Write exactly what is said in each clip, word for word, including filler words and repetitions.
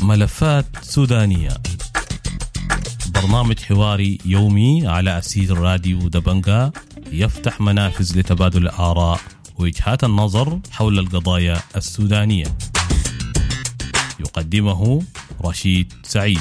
ملفات سودانية، برنامج حواري يومي على أثير راديو دبنقا، يفتح منافذ لتبادل الآراء ووجهات النظر حول القضايا السودانية. يقدمه رشيد سعيد.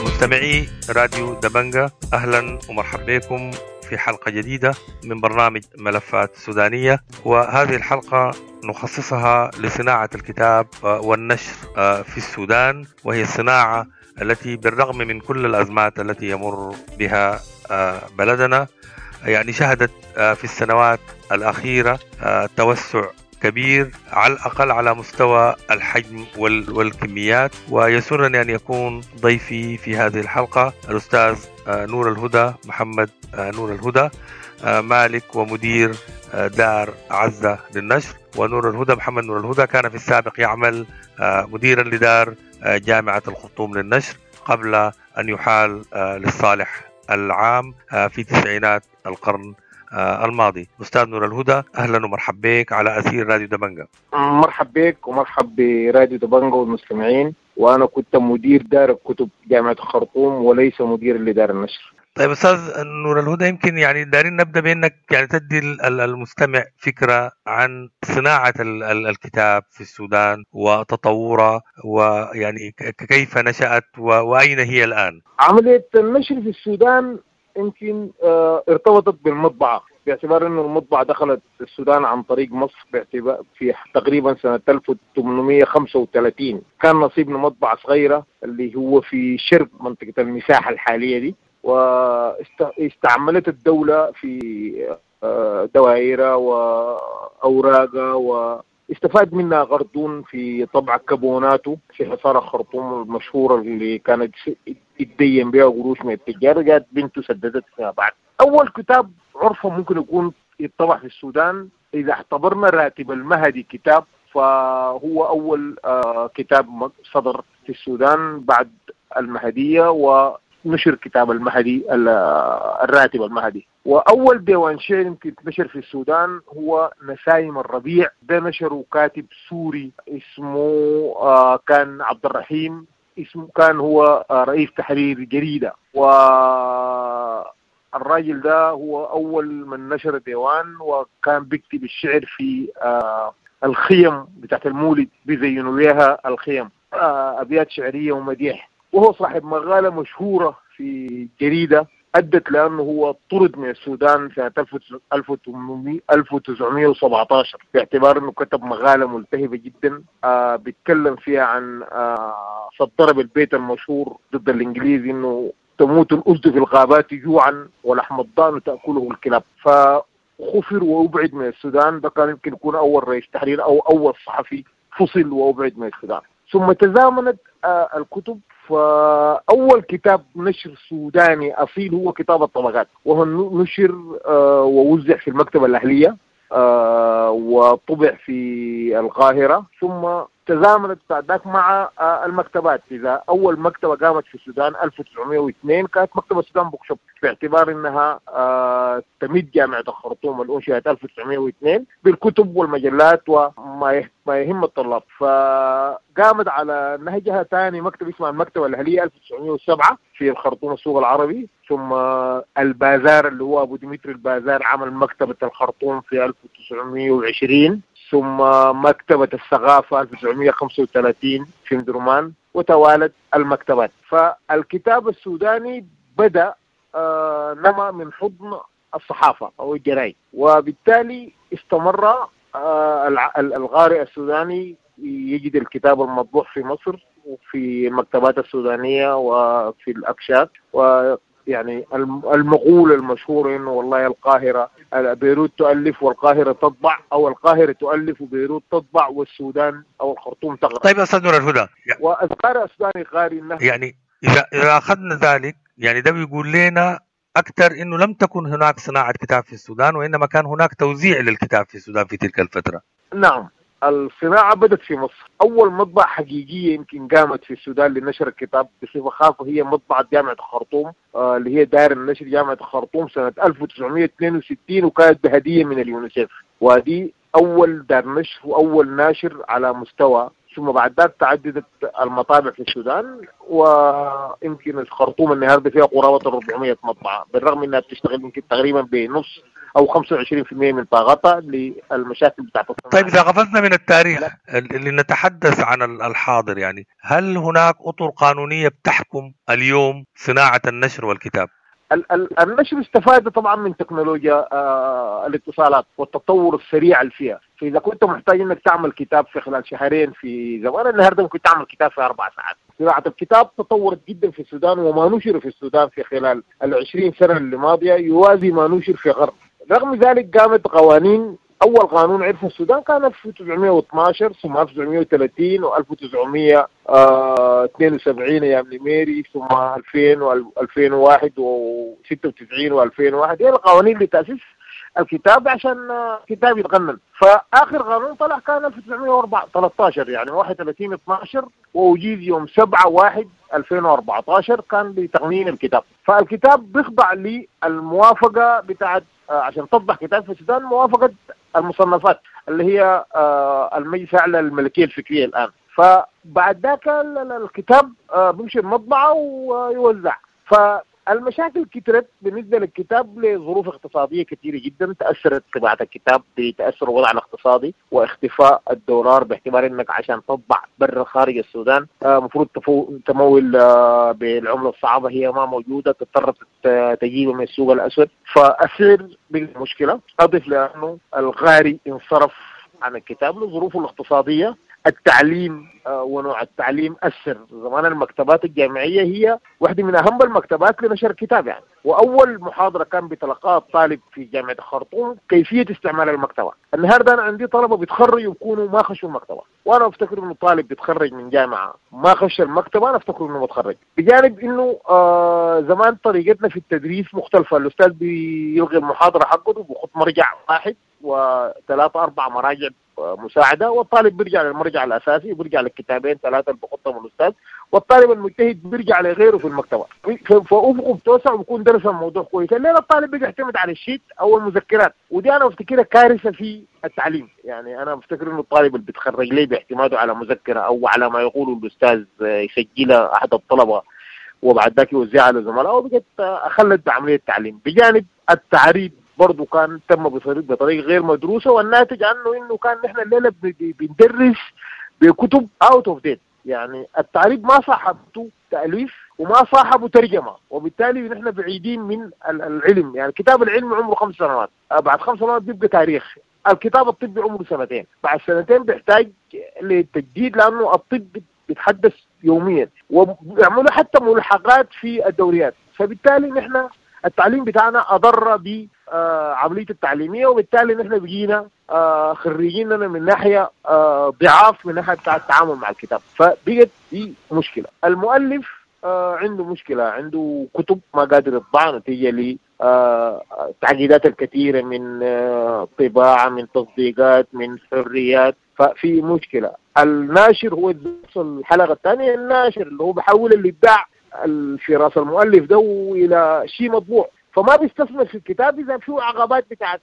مستمعي راديو دبنقا، أهلا ومرحبا بكم في حلقة جديدة من برنامج ملفات سودانية، وهذه الحلقة نخصصها لصناعة الكتاب والنشر في السودان، وهي الصناعة التي بالرغم من كل الأزمات التي يمر بها بلدنا يعني شهدت في السنوات الأخيرة توسع كبير على الأقل على مستوى الحجم والكميات. ويسرني أن يكون ضيفي في هذه الحلقة الأستاذ نور الهدى محمد نور الهدى، مالك ومدير دار عزة للنشر. ونور الهدى محمد نور الهدى كان في السابق يعمل مديرا لدار جامعة الخرطوم للنشر قبل أن يحال للصالح العام في تسعينات القرن الماضي. أستاذ نور الهدى، أهلا ومرحبا بك على أثير راديو دبنقا. مرحب بك ومرحب براديو دبنقا والمستمعين. وأنا كنت مدير دار الكتب جامعة الخرطوم وليس مدير لدار النشر. طيب أستاذ نور الهدى، يمكن يعني دارين نبدأ بأنك يعني تدي المستمع فكرة عن صناعة الكتاب في السودان وتطورها، ويعني كيف نشأت وأين هي الآن؟ عملية النشر في السودان يمكن ارتبطت بالمطبعة، باعتبار أنه المطبعة دخلت السودان عن طريق مصر باعتبار في تقريبا سنة ألف وثمانمائة وخمسة وثلاثين. كان نصيبنا مطبعة صغيرة اللي هو في شرق منطقة المساحة الحالية دي، واستعملت الدولة في دوائرها وأوراقها، واستفاد منها غردون في طبع كابوناته في حصار الخرطوم المشهورة اللي كانت يتدين بها قروش من التجار، جات بنته سددت فيها بعد. أول كتاب عرفه ممكن يكون يتطبع في السودان إذا اعتبرنا راتب المهدي كتاب، فهو أول كتاب صدر في السودان بعد المهدية، و نشر كتاب المهدي الراتب المهدي. وأول ديوان شعر يمكن نشر في السودان هو نسايم الربيع، ده نشره كاتب سوري اسمه آه كان عبد الرحيم، اسمه كان هو آه رئيس تحرير جريدة، والراجل ده هو أول من نشر ديوان، وكان بيكتب الشعر في آه الخيم بتاعت المولد، بيزينوا بيها الخيم، آه أبيات شعرية ومديح. وهو صاحب مقالة مشهورة في جريدة أدت لأنه هو طرد من السودان سنة ألف وتسعمائة وسبعة عشر باعتبار أنه كتب مقالة ملتهبة جدا آه بيتكلم فيها عن آه صدر بالبيت المشهور ضد الإنجليز أنه تموت الأسد في الغابات جوعا ولحم الضأن تأكله الكلاب. فخفر وأبعد من السودان. ده كان يمكن يكون أول رئيس تحرير أو أول صحفي فصل وأبعد من السودان. ثم تزامنت آه الكتب، فأول كتاب نشر سوداني أصيل هو كتاب الطبقات، وهو نشر آه ووزع في المكتبة الأهلية آه وطبع في القاهرة. ثم تزامنت بعد ذاك مع آه المكتبات. إذا أول مكتبة قامت في السودان ألف وتسعمائة واثنين كانت مكتبة السودان بوكشوب، باعتبار أنها آه تمد جامعة الخرطوم الأنشئت ألف وتسعمائة واثنين بالكتب والمجلات وما ما يهم الطلاب. فقامت على نهجها ثاني مكتب اسمها المكتبة الأهلية ألف وتسعمائة وسبعة في الخرطوم السوق العربي. ثم البازار اللي هو أبو ديمتري البازار عمل مكتبة الخرطوم في ألف وتسعمائة وعشرين. ثم مكتبة الثقافة ألف وتسعمائة وخمسة وثلاثين في مدرمان، وتوالت المكتبات. فالكتاب السوداني بدأ آه نما من حضن الصحافة أو الجرايد، وبالتالي استمر آه القارئ السوداني يجد الكتاب المطبوع في مصر وفي المكتبات السودانية وفي الأكشاك. و يعني المقولة المشهورة إنه والله القاهرة بيروت تؤلف والقاهرة تطبع، أو القاهرة تؤلف وبيروت تطبع والسودان أو الخرطوم تقرأ. طيب أستاذ نور الهدى، والقارئ السوداني قارئ إنه يعني إذا إذا أخذنا ذلك يعني ده بيقول لنا أكثر إنه لم تكن هناك صناعة كتاب في السودان، وإنما كان هناك توزيع للكتاب في السودان في تلك الفترة. نعم. الصناعة بدت في مصر. أول مطبعة حقيقية يمكن قامت في السودان لنشر الكتاب بصفة خاصة هي مطبعة جامعة الخرطوم، آه اللي هي دار النشر جامعة الخرطوم سنة ألف وتسعمية واثنين وستين، وكانت بهدية من اليونيسيف، ودي أول دار نشر وأول ناشر على مستوى. ثم بعد ذلك تعددت المطابع في السودان، ويمكن الخرطوم النهارده فيها قرابة أربعمية مطبعة، بالرغم انها بتشتغل يمكن تقريبا بنص او خمسة وعشرين بالمئة من طاقتها للمشاكل بتاعت الصناعة. طيب اذا قفزنا من التاريخ اللي نتحدث عن الحاضر، يعني هل هناك اطر قانونية بتحكم اليوم صناعة النشر والكتاب؟ النشر استفاد طبعا من تكنولوجيا الاتصالات والتطور السريع اللي فيها، فإذا كنت محتاج انك تعمل كتاب في خلال شهرين في زمان، النهارده ممكن تعمل كتاب في اربع ساعات. صناعة الكتاب تطورت جدا في السودان، وما نشر في السودان في خلال العشرين سنة اللي ماضية يوازي ما نشر في غرب. رغم ذلك قامت قوانين. أول قانون عرفه السودان كان ألف وتسعمية واثناشر، ثم ألف وتسعمية وثلاثين وألف وتسعمية واثنين وسبعين أيام نميري، ثم ألفين وألفين وواحد وستة وتسعين وألفين وواحد. هي القوانين لتأسيس الكتاب عشان الكتاب يتغنن. فآخر قانون طلع كان ألف وتسعمية وثلاثة عشر، يعني واحد وثلاثين اثناشر، وأجيز يوم سبعة واحد ألفين وأربعة عشر كان لتقنين الكتاب. فالكتاب بيخضع للموافقة بتاعت عشان تطبع كتاب في السودان، موافقة المصنفات اللي هي المجلس الأعلى للملكية الفكرية الآن. فبعد ذاك الكتاب بيمشي المطبعة ويوزع. فالمشاكل كترت بالنسبة للكتاب لظروف اقتصادية كثيرة جدا، تأثرت طباعة الكتاب بتأثر الوضع الاقتصادي واختفاء الدولار، باعتبار انك عشان تطبع برا خارج السودان مفروض تمول بالعملة الصعبة، هي ما موجودة، تضطر تجيبها من السوق الأسود، فالسعر بالمشكلة. أضف لأنه الغاري انصرف عن الكتاب لظروفه الاقتصادية. التعليم ونوع التعليم أثر. زمان المكتبات الجامعية هي واحدة من أهم المكتبات لنشر الكتاب يعني، وأول محاضرة كان بتلقاها الطالب في جامعة الخرطوم كيفية استعمال المكتبة. النهاردة أنا عندي طلبة بيتخرجوا ويكونوا ما خشوا المكتبة، وأنا أفتكر إنه طالب بيتخرج من جامعة ما خش المكتبة أنا أفتكر إنه متخرج. بجانب إنه آه زمان طريقتنا في التدريس مختلفة، الأستاذ بيلغي المحاضرة حقه وبيحط مرجع واحد وثلاثة أربع مراجع مساعدة، والطالب بيرجع للمرجع الأساسي وبيرجع للكتابين ثلاثة اللي بحطهم الأستاذ، والطالب المجتهد بيرجع لغيره في المكتبة، فأفقه بتوسع وبيكون درس الموضوع كويس. لأن الطالب بيعتمد على الشيت أو المذكرات، ودي أنا أفتكرها كارثة في التعليم. يعني أنا أفتكر إنه الطالب اللي بيتخرج ليه باعتماده على مذكرة أو على ما يقوله الأستاذ يسجلها أحد الطلبة وبعد ذاك يوزعها لزملائه، بقت أخلت بعملية التعليم. بجانب التعريب برضو كان تم بطريقة غير مدروسة، والناتج عنه إنه كان نحن الليلة بندرس بكتب out of date. يعني التعريب ما صاحبته تأليف وما صاحبه ترجمة، وبالتالي نحن بعيدين من العلم. يعني كتاب العلم عمره خمس سنوات، بعد خمس سنوات بيبقى تاريخ. الكتاب الطبي عمره سنتين، بعد سنتين بيحتاج للتجديد لأنه الطب بيتحدث يوميا، وبيعملوا حتى ملحقات في الدوريات. فبالتالي نحن التعليم بتاعنا أضر بعملية التعليمية، وبالتالي نحن بقينا خريجيننا من ناحية ضعاف من ناحية بتاع التعامل مع الكتاب، فبقت دي مشكلة. المؤلف عنده مشكلة، عنده كتب ما قادر يطبعها نتيجة للتعقيدات الكثيرة من طباعة، من تصديقات، من حريات، ففي مشكلة. الناشر هو الحلقة الثانية، الناشر اللي هو بحول الإبداع في راس المؤلف ده إلى شيء مطبوع، فما بيستثمر في الكتاب إذا فيه عقبات بتاعت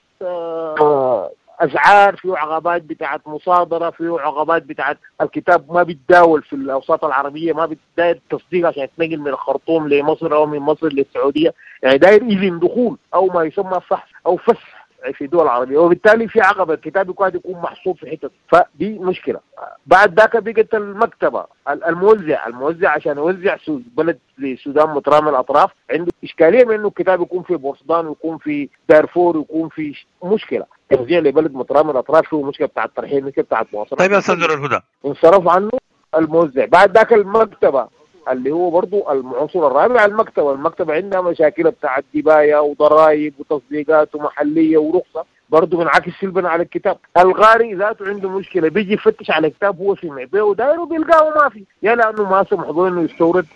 أسعار، فيه عقبات بتاعت مصادرة، فيه عقبات بتاعت الكتاب ما بيتداول في الأوساط العربية، ما بيتداير تصديق عشان يتنقل من الخرطوم لمصر أو من مصر للسعودية، يعني داير إذن دخول أو ما يسمى فحص أو فسح في دول العربية، وبالتالي في عقبة الكتاب يكاد يكون محصور في حتة، فدي مشكلة. بعد ذاك بقت المكتبة، الموزع الموزع عشان يوزع بلد للسودان مترامي الأطراف عنده إشكالية من إنه الكتاب يكون في بورسودان ويكون في دارفور ويكون في مشكلة توزيع لبلد مترامي الأطراف، فيه مشكلة بتاع الترحيل، مشكلة بتاع المواصلات. طيب يا أستاذ نور الهدى، انصرف عنه الموزع. بعد ذاك المكتبة اللي هو برضو العنصر الرابع، المكتبة المكتبة عندها مشاكل بتاعت دباية وضرائب وتصديقات ومحلية ورخصة، برضو بنعكس سلبا على الكتاب. الغاري ذاته عنده مشكلة، بيجي يفتش على كتاب هو سمع بيه وداير وبيلقاه ما في، يا لأنه ما سمحوا إنه يستورد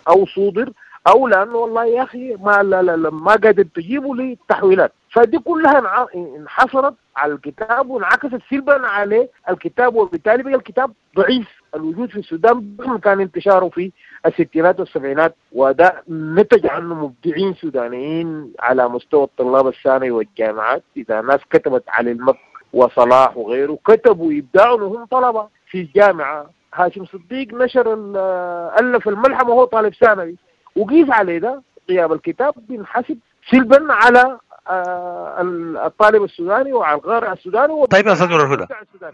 أو صودر، او لانه والله يا اخي ما لا لا لا ما قادر تجيبه للتحويلات. فدي كلها انحصرت على الكتاب وانعكست سلبا على الكتاب، وبالتالي بقى الكتاب ضعيف الوجود في السودان رغم كان انتشاره في الستينات والسبعينات، وده نتج عنه مبدعين سودانيين على مستوى الطلاب الثانوي والجامعات. اذا ناس كتبت على المك وصلاح وغيره كتبوا ابداعهم وهم طلبه في الجامعة. هاشم صديق نشر الف الملحمة وهو طالب ثانوي، وقيس عليه ده غياب الكتاب بينحسب سلبا على الطالب السوداني وعلى القارئ السوداني. طيب يا استاذ نور الهدى،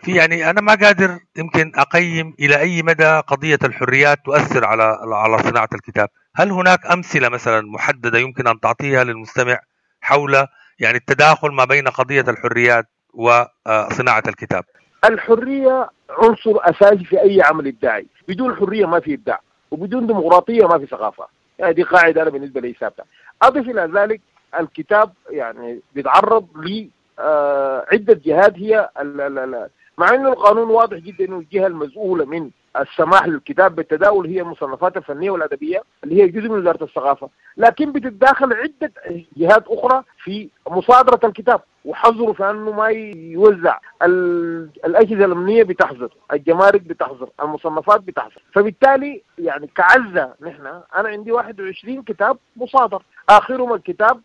في يعني انا ما قادر يمكن اقيم الى اي مدى قضية الحريات تؤثر على على صناعة الكتاب. هل هناك امثلة مثلا محددة يمكن ان تعطيها للمستمع حول يعني التداخل ما بين قضية الحريات وصناعة الكتاب؟ الحرية عنصر اساسي في اي عمل ابداعي، بدون حرية ما في ابداع، وبدون ديمقراطية ما في ثقافة. يعني دي قاعدة انا بالنسبة لي ثابتة. اضف الى ذلك الكتاب يعني بيتعرض لعدة جهات هي مع انه القانون واضح جدا انه الجهة المسؤولة من السماح للكتاب بالتداول هي المصنفات الفنية والادبية اللي هي جزء من وزارة الثقافة، لكن بتتداخل عده جهات اخرى في مصادره الكتاب وحظره في انه ما يوزع. الاجهزة الامنية بتحظر، الجمارك بتحظر، المصنفات بتحظر، فبالتالي يعني كعزه نحن انا عندي واحد وعشرين كتاب مصادر، اخرهم الكتاب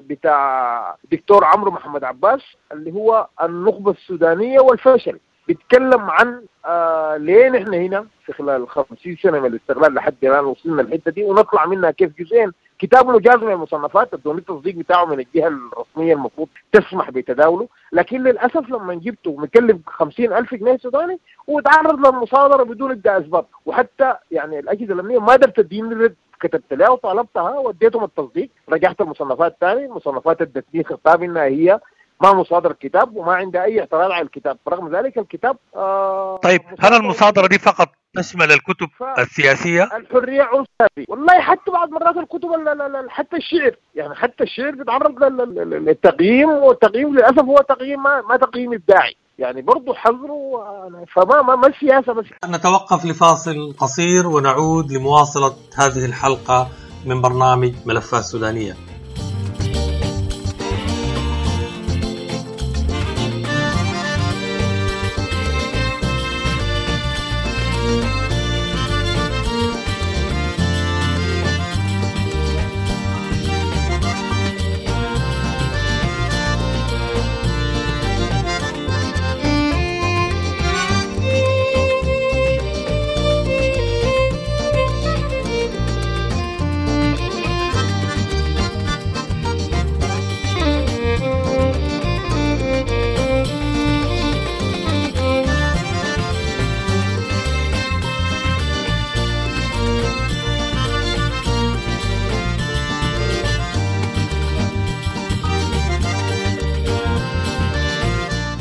بتاع دكتور عمرو محمد عباس اللي هو النخبة السودانية والفشل، بيتكلم عن آه ليه نحن هنا في خلال خمسين سنة من الاستقلال لحد الان وصلنا الحتة دي ونطلع منها كيف. جزئين كتاب مجاز من المصنفات ادوني التصديق بتاعه من الجهة الرسمية المفروض تسمح بتداوله، لكن للاسف لما جبته مكلف خمسين ألف جنيه سوداني وتعرض للمصادره بدون ابداء اسباب، وحتى يعني الاجهزة الامنية ما قدرت تديني الرد. كتبت لها وطالبتها واديتهم التصديق، رجعت المصنفات ثاني، المصنفات ادتني خطاب انها هي ما مصادر الكتاب وما عندها اي اعتراض على الكتاب، برغم ذلك الكتاب آه طيب هل المصادرة دي فقط تشمل الكتب ف... السياسية؟ الحرية عنصرية والله، حتى بعض مرات الكتب حتى الشعر، يعني حتى الشعر بيتعرض للتقييم، والتقييم للاسف هو تقييم ما, ما تقييم ابداعي، يعني برضه حظره. فما ما, ما السياسة بس. نتوقف لفاصل قصير ونعود لمواصلة هذه الحلقة من برنامج ملفات سودانيه.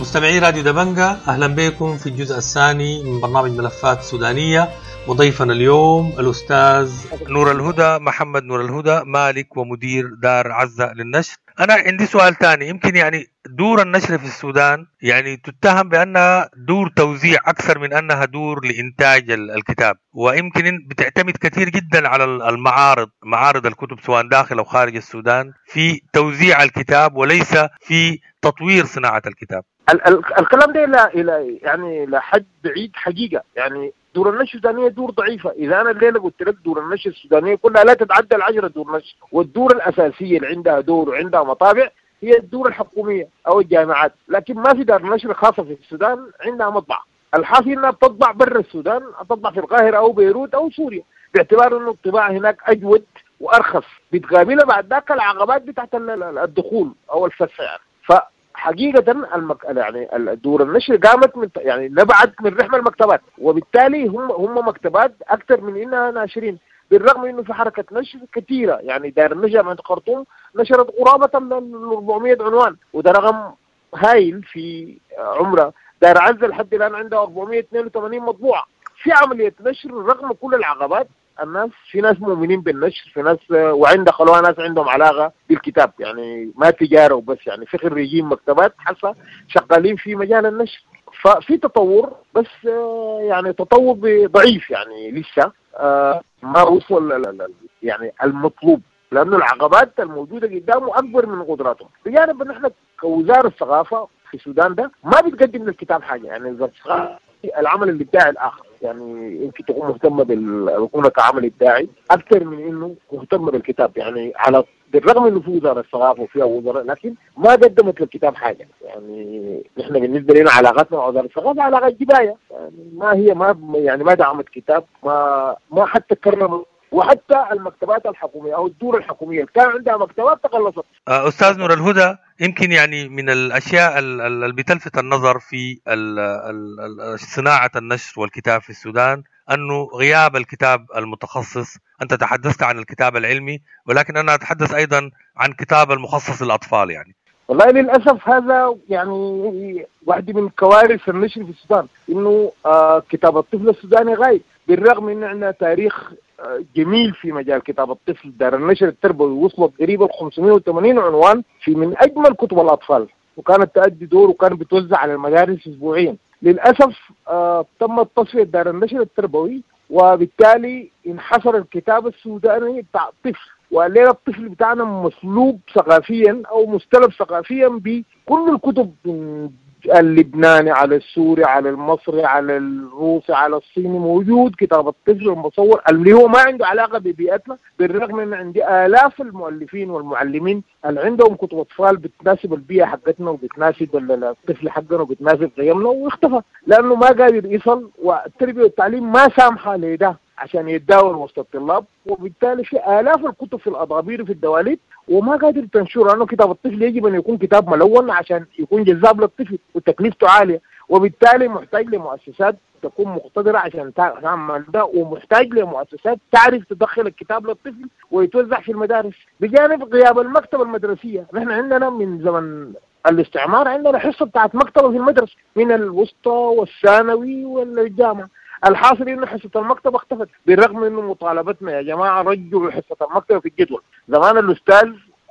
مستمعي راديو دبنجة، أهلا بكم في الجزء الثاني من برنامج ملفات سودانية، وضيفنا اليوم الأستاذ نور الهدى محمد نور الهدى، مالك ومدير دار عزة للنشر. أنا عندي سؤال ثاني، يمكن يعني دور النشر في السودان يعني تتهم بأنها دور توزيع أكثر من أنها دور لإنتاج الكتاب، ويمكن بتعتمد كثير جدا على المعارض، معارض الكتب سواء داخل أو خارج السودان في توزيع الكتاب وليس في تطوير صناعة الكتاب. ال- ال- الكلام ده إلى إلى يعني لحد بعيد حقيقة. يعني دور النشر السودانية دور ضعيفة. إذا أنا الليلة قلت لك دور النشر السودانية كلها لا تتعدى العشرة دور نشر، والدور الأساسية اللي عندها دور وعندها مطابع هي الدور الحكومية أو الجامعات، لكن ما في دار نشر خاصة في السودان عندها مطبعة. الحاصل إنها بتطبع برا السودان، تطبع في القاهرة أو بيروت أو سوريا، باعتبار إنه الطباعة هناك أجود وأرخص. بتقابلها بعد ذاك العقبات بتاعت الدخول أو الفتح يعني. ف حقيقة المك... يعني دور النشر قامت من يعني نبعت من رحم المكتبات، وبالتالي هم هم مكتبات أكثر من إنها ناشرين، بالرغم إنه في حركة نشر كثيرة. يعني دار النشر جامعة الخرطوم نشرت قرابة ال أربعمية عنوان، وده رقم هايل في عمره. دار عزة لحد الآن عندها أربعمية واثنين وثمانين مطبوعة. في عملية نشر رغم كل العقبات. الناس في ناس مؤمنين بالنشر، في ناس وعند خلوها ناس عندهم علاقة بالكتاب، يعني ما تجارة وبس، يعني في خريجين مكتبات حسا شغالين في مجال النشر. ففي تطور، بس يعني تطور ضعيف، يعني لسه ما وصل يعني المطلوب، لأنه العقبات الموجودة قدامه أكبر من قدراتهم. بجانب أن احنا كوزارة الثقافة في السودان ده ما بتقدم للكتاب حاجة، يعني وزارة الثقافة العمل الإبداعي الآخر، يعني يمكن تكون مهتمة بالكونة كعمل إبداعي أكثر من إنه مهتمة بالكتاب، يعني على بالرغم إنه في وزارة الثقافة وفيها وزراء، لكن ما قدمت للكتاب حاجة. يعني نحن بالنسبة لنا علاقتنا مع وزارة الثقافة علاقة جباية، يعني ما هي ما يعني ما دعمت كتاب، ما ما حتى كرمت، وحتى المكتبات الحكومية أو الدور الحكومية كان عندها مكتبات تقلصت. أستاذ نور الهدى، يمكن يعني من الأشياء اللي بتلفت النظر في صناعة النشر والكتاب في السودان أنه غياب الكتاب المتخصص. أنت تحدثت عن الكتاب العلمي، ولكن أنا أتحدث أيضا عن كتاب المخصص للأطفال. يعني والله للأسف هذا يعني واحدة من كوارث النشر في السودان، إنه آه كتاب الطفل السوداني غايب، بالرغم إن عندنا تاريخ جميل في مجال كتاب الطفل. دار النشر التربوي وصلت قريبا خمسمائة وثمانين عنوان في من أجمل كتب الأطفال، وكانت تؤدي دور وكان بتوزع على المدارس أسبوعيا. للأسف آه تم تصفية دار النشر التربوي، وبالتالي انحصر الكتاب السوداني بتاع الطفل، والليلة الطفل بتاعنا مسلوب ثقافيا أو مستلب ثقافيا بكل الكتب من اللبناني على السوري على المصري على الروسي على الصيني، موجود كتاب الطفل المصور اللي هو ما عنده علاقة ببيئتنا، بالرغم ان عندي آلاف المؤلفين والمعلمين اللي عندهم كتب أطفال بتناسب البيئة حقتنا وبتناسب الطفل حقنا وبتناسب قيمنا، واختفى لأنه ما قادر يصل، والتربية والتعليم ما سامحة لده عشان يتداول وسط الطلاب، وبالتالي في آلاف الكتب في الأضابير وفي الدواليب وما قادر تنشر، لأنه كتاب الطفل يجب أن يكون كتاب ملون عشان يكون جذاب للطفل وتكلفته عالية، وبالتالي محتاج لمؤسسات تكون مقتدرة عشان تعمل ده، ومحتاج لمؤسسات تعرف تدخل الكتاب للطفل ويتوزع في المدارس. بجانب غياب المكتبة المدرسية، نحن عندنا من زمن الاستعمار عندنا حصة بتاعت مكتبة في المدرسة من الوسطى والثانوي والجامعة. الحاصل انه حصة المكتبة اختفت، بالرغم انه مطالبتنا يا جماعة رجعوا حصة المكتبة في الجدول. زمان الاستاذ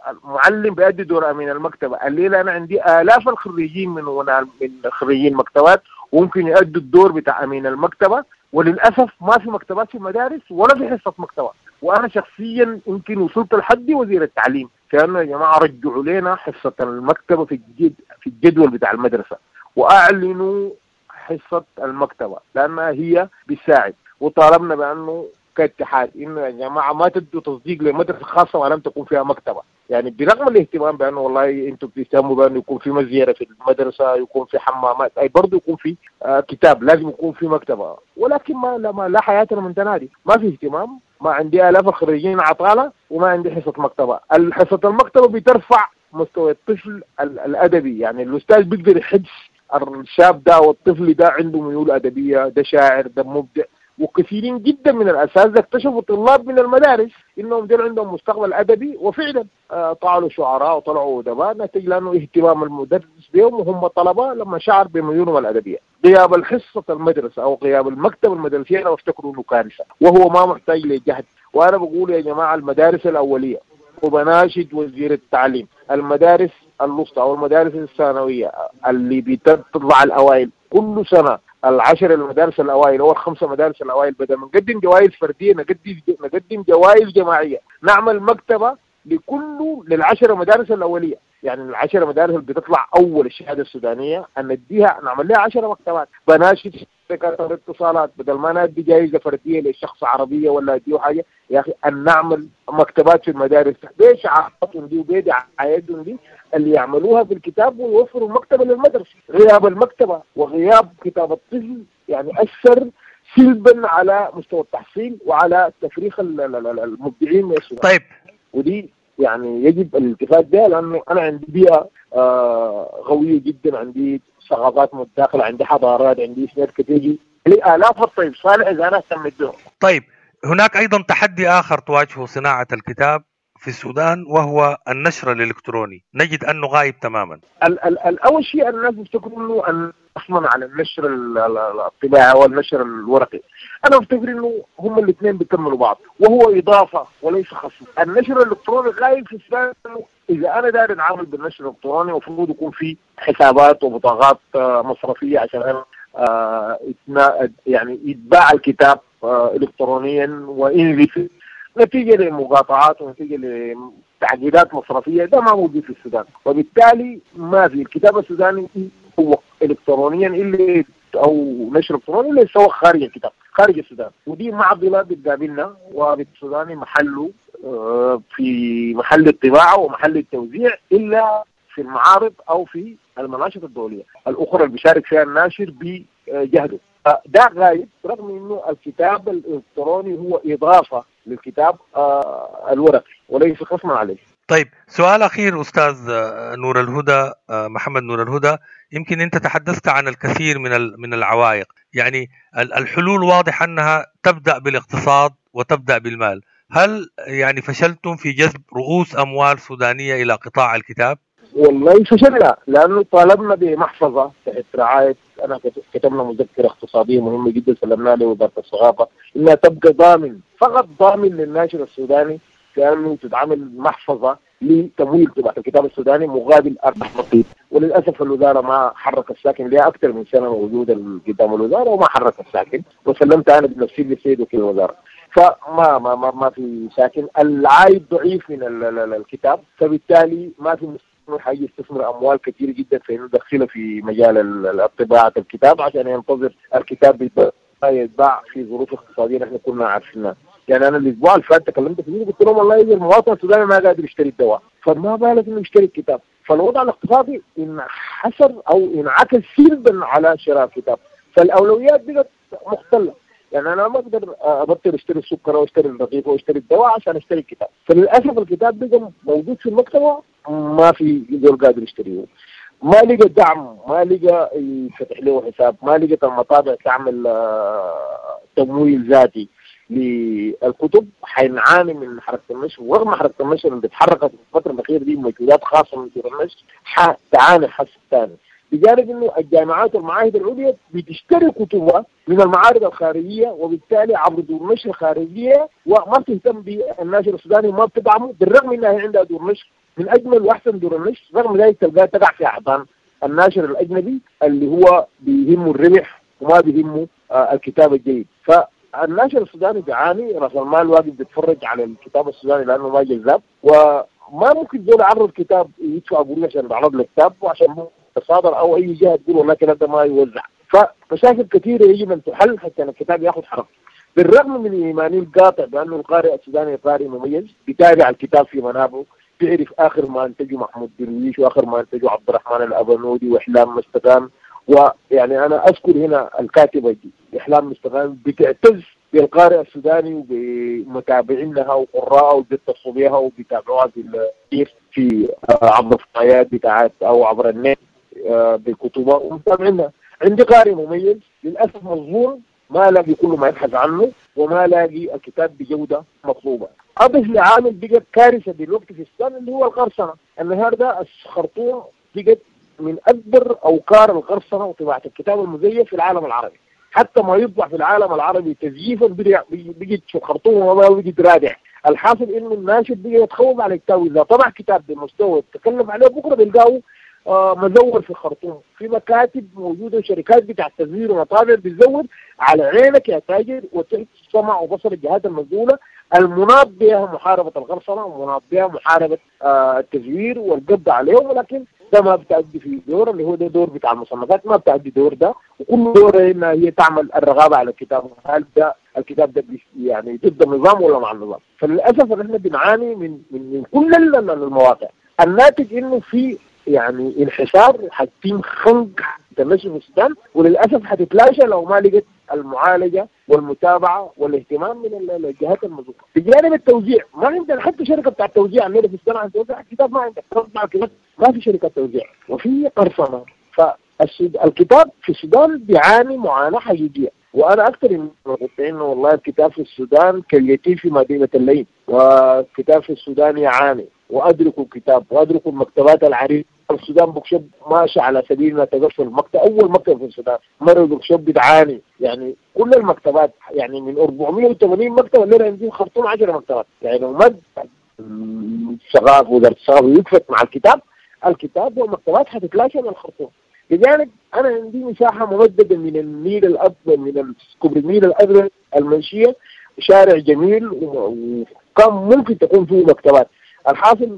المعلم بيأدي دور امين المكتبة، الليلة انا عندي الاف الخريجين من من خريجين مكتبات وممكن يأدوا الدور بتاع امين المكتبة، وللاسف ما في مكتبات في المدارس ولا في حصة مكتبه. وانا شخصيا يمكن وصلت لحد وزير التعليم كانه يا جماعة رجعوا لنا حصة المكتبة في الجد في الجدول بتاع المدرسة، واعلنوا حصة المكتبة لأنها هي بتساعد. وطالبنا بأنه كاتحاد إنه يا جماعة ما تدوا تصديق لمدرسة خاصة ولم تكون فيها مكتبة، يعني برغم الاهتمام بأنه والله أنتم بتهتموا بأنه يكون في مزيرة في المدرسة، يكون في حمامات، أي برضه يكون في آه كتاب، لازم يكون في مكتبة، ولكن ما لا, ما لا حياة لمن تنادي، ما في اهتمام. ما عندي آلاف الخريجين عطالة وما عندي حصة مكتبة. حصة المكتبة بترفع مستوى الطفل الأدبي، يعني الأستاذ بيقدر يحس الشاب ده والطفل ده عنده ميول أدبية، ده شاعر، ده مبدع. وكثيرين جدا من الأساتذة اكتشفوا طلاب من المدارس إنهم دول عندهم مستقبل أدبي، وفعلا طلعوا شعراء وطلعوا أدباء، نتيجة لأنه اهتمام المدرس بهم وهم طلبة لما شعر بميولهم الأدبية. غياب الحصة المدرسة أو غياب المكتب المدرسية أنا بفتكره إنه كارثة، وهو ما محتاج لجهد. وأنا بقول يا جماعة المدارس الأولية، وبناشد وزير التعليم، المدارس الوسطى أو المدارس الثانوية اللي بتطلع الأوائل كل سنة، العشر المدارس الأوائل أو الخمسة مدارس الأوائل، بدل ما نقدم جوائز فردية نقدم نقدم جوائز جماعية، نعمل مكتبة لكل للعشر مدارس الأولية، يعني العشر مدارس اللي بتطلع أول الشهادة السودانية أن نديها نعمل لها عشر مكتبات. بناشد شركات الاتصالات بدل ما ندي جائزة فردية لشخص عربية ولا أديه حاجة، يا أخي أن نعمل مكتبات في المدارس بشعاراتهم دي وبدعايتهم دي اللي يعملوها في الكتاب ويوفروا المكتبة للمدرسة. غياب المكتبة وغياب كتاب الطفل يعني أثر سلبا على مستوى التحصيل وعلى تفريخ المبدعين من السودان. طيب ودي يعني يجب الالتفات بها، لأنه أنا عندي بيئة آه غوية جدا، عندي ثقافات متداخلة، عندي حضارات، عندي إسناد كتير لآلاف الطيب صالح إذا أنا اهتمت بهم. طيب هناك أيضا تحدي آخر تواجهه صناعة الكتاب في السودان وهو النشر الإلكتروني، نجد أنه غايب تماما. ال- ال- الأول شيء الناس بيفتكروا أنه أن أصلا على النشر الطباعي والنشر الورقي، أنا بفتكر أنه هم الاثنين بيكملوا بعض وهو إضافة وليس خصم. النشر الإلكتروني غايب في السودان. إذا أنا داير أتعامل بالنشر الإلكتروني المفروض يكون في حسابات وبطاقات مصرفية عشان أنا يعني يتباع الكتاب إلكترونيا وإنزل. نتيجة لمقاطعات ونتيجة لتعقيدات مصرفية، ده ما موجود في السودان، وبالتالي ما في الكتاب السوداني هو الكترونيا اللي او نشر الكتروني اللي يسوق خارج الكتاب خارج السودان، ودي معضلة بتقابلنا. والسوداني محله في محل الطباعة ومحل التوزيع الا في المعارض او في المناشط الدولية الاخرى اللي بيشارك فيها الناشر بجهده. ده غايب، رغم انه الكتاب الالكتروني هو اضافه للكتاب الورقي وليس خصما عليه. طيب سؤال أخير أستاذ نور الهدى، محمد نور الهدى، يمكن أنت تحدثت عن الكثير من من العوائق، يعني الحلول واضح أنها تبدأ بالاقتصاد وتبدأ بالمال. هل يعني فشلتم في جذب رؤوس أموال سودانية إلى قطاع الكتاب؟ والله فشلنا، لأنه طالبنا بمحفظة تحت رعاية، أنا كتبنا مذكرة اقتصادية مهمة جدا سلمناها لوزارة الثقافة إنها تبقى ضامن، فقط ضامن للناشر السوداني، كأنه تتعامل محفظة لتمويل طباعة الكتاب السوداني مقابل أرباح بسيطة. وللأسف الوزارة ما حرك الساكن، لها أكثر من سنة موجودة قدام الوزارة وما حرك الساكن، وسلمت أنا بنفسي للسيد وكيل الوزارة، فما ما ما, ما في ساكن. العائد ضعيف من الكتاب، فبالتالي ما في مستثمر حيستثمر أموال كثيرة جدا في إنه يدخلها في مجال طباعة الكتاب عشان ينتظر الكتاب يتباع في ظروف اقتصادية نحن كنا عارفينها. يعني انا الاسبوع اللي فات تكلمت فيه قلت لهم والله اذا المواطن السوداني ما قادر يشتري الدواء فما بالك انه يشتري الكتاب. فالوضع الاقتصادي انحسر او انعكس سلبا على شراء الكتاب، فالاولويات بقت مختله. يعني انا ما اقدر ابطل اشتري السكر او اشتري الرغيف او اشتري الدواء عشان اشتري الكتاب. فللاسف الكتاب بقى موجود في المكتبة ما في زول قادر يشتريه، ما لقى دعم، ما لقى يفتح له حساب، ما لقت المطابع تعمل تمويل ذاتي للكتب. حنعاني من حركة النشر، ورغم حركة النشر اللي اتحركت في الفترة الأخيرة دي مجهودات خاصة من دور النشر حتعاني حس الثاني، بجانب انه الجامعات والمعاهد العليا بتشتري كتبها من المعارض الخارجية، وبالتالي عبر دور نشر خارجية، وما بتهتم بالناشر السوداني وما بتدعمه، بالرغم انها عندها دور نشر من اجمل واحسن دور النشر، رغم ذلك تلقاها تقع في احضان الناشر الاجنبي اللي هو بيهمه الربح وما بيهمه آه الكتاب الجيد. ف الناشر السوداني بيعاني، راس المال واقف بيتفرج على الكتاب السوداني لانه ما جذاب، وما ممكن زول يعرض كتاب يدفع قروش عشان يعرض له كتاب وعشان تصادر او اي جهة تقول والله الكتاب ده ما يوزع. فمشاكل كثيرة يجب ان تحل حتى الكتاب ياخذ حركته. بالرغم من ايماني القاطع بانه القارئ السوداني قارئ مميز، بيتابع الكتاب في منابعه، بيعرف اخر ما انتجه محمود درويش واخر ما انتجه عبد الرحمن الابنودي واحلام مستغانم. ويعني انا اذكر هنا الكاتبة دي احلام مستغانم بتعتز بالقارئ السوداني وبمتابعينها وقراءة وبيتصلوا بها وبيتابعوها في في عبر الفضائيات بتاعت او عبر النت بكتبها ومتابعينها. عندي قارئ مميز للاسف مظلوم، ما لاقي كل ما يبحث عنه وما لاقي الكتاب بجوده مطلوبه. اضف لعامل بقت كارثة دلوقتي في السودان اللي هو القرصنة. النهارده الخرطوم بقت من اكبر اوكار القرصنة وطباعه الكتاب المزيف في العالم العربي. حتى ما يطبع في العالم العربي تزييفا بيجي في الخرطوم وما بيجي رادع. الحاصل انه الناشر بيجي يتخوف على الكتاب، اذا طبع كتاب بمستوى تكلف عليه بكره بيلقاه آه مزور في الخرطوم. في مكاتب موجودة وشركات بتاع التزوير ومطابع بتزور على عينك يا تاجر، وتحت سمع وبصر الجهات المسؤولة المناط بها محاربة القرصنة ومناط بها محاربة آه التزوير والقبض عليهم، ولكن ده ما بتأدي في دور اللي هو ده دور بتاع المصنفات، ما بتأدي دور ده، وكل دور انها هي تعمل الرغابه على الكتاب، هل ده الكتاب ده يعني ضد النظام ولا مع النظام؟ فللاسف ان احنا بنعاني من من, من كل المواقع. الناتج انه في يعني انحسار، حتتم خنق النشر في السودان، وللاسف حتتلاشى لو ما لقت المعالجة والمتابعة والاهتمام من الجهات المسؤولة. بجانب التوزيع ما عندنا حتى شركة بتاع التوزيع عندنا في السودان عشان توزع الكتاب، ما عندك توزع الكتاب، ما في شركة توزيع وفي قرصنة. فالكتاب في السودان بيعاني معاناة حقيقية، وانا اكثر من انه والله الكتاب في السودان كاليتيم في مدينة الليل، والكتاب في السودان يعاني، وادركوا الكتاب وادركوا المكتبات العريقه. السودان bookshop ماشي على سبيل ما تقفل المكتب، اول مكتب في السودان مروي bookshop بتعاني، يعني كل المكتبات يعني من أربعمية وثمانين مكتبه اللي عندي الخرطوم عشر مكتبات، يعني لو مد الثقافة وزارة الثقافة وقفت مع الكتاب، الكتاب والمكتبات حتتلاشى من الخرطوم. لذلك انا عندي مساحة ممددة من النيل الابيض، من كوبري النيل الازرق المنشيه، شارع جميل وكان ممكن تكون فيه مكتبات. الحاصل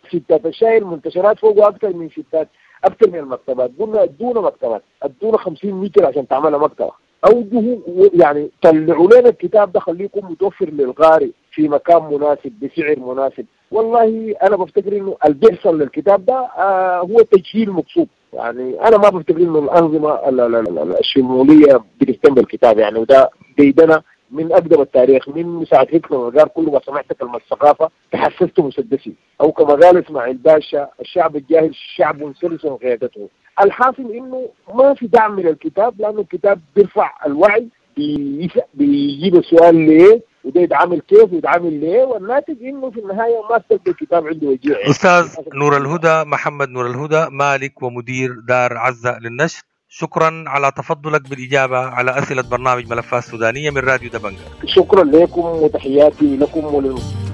ستات الشاي المنتشرات فوقه اكثر من ستات، اكثر من المكتبات. قلنا ادونا مكتبات، ادونا خمسين متر عشان تعملها مكتبه، اوجهوا يعني طلعوا لنا الكتاب ده، خليه يكون متوفر للقارئ في مكان مناسب بسعر مناسب. والله انا بفتكر انه اللي بيحصل للكتاب ده آه هو تجهيل مقصود. يعني انا ما بفتكر انه الانظمة الشمولية بتهتم بالكتاب يعني، وده ديدنا من اقدم التاريخ، من ساعة هتلر قال كل ما سمعت كلمة الثقافة تحسست مسدسي، او كما قال اسماعيل باشا الشعب الجاهل شعب سلس قيادته. الحاصل انه ما في دعم للكتاب، لانه الكتاب بيرفع الوعي، بيجيب السؤال ليه، وده يتعامل كيف ويتعامل ليه، والناتج انه في النهاية ما تلقى الكتاب عنده وجيع. استاذ نور الهدى محمد نور الهدى، مالك ومدير دار عزة للنشر، شكرا على تفضلك بالإجابة على أسئلة برنامج ملفات سودانية من راديو دبنجة. شكرا لكم وتحياتي لكم وللمستمعين.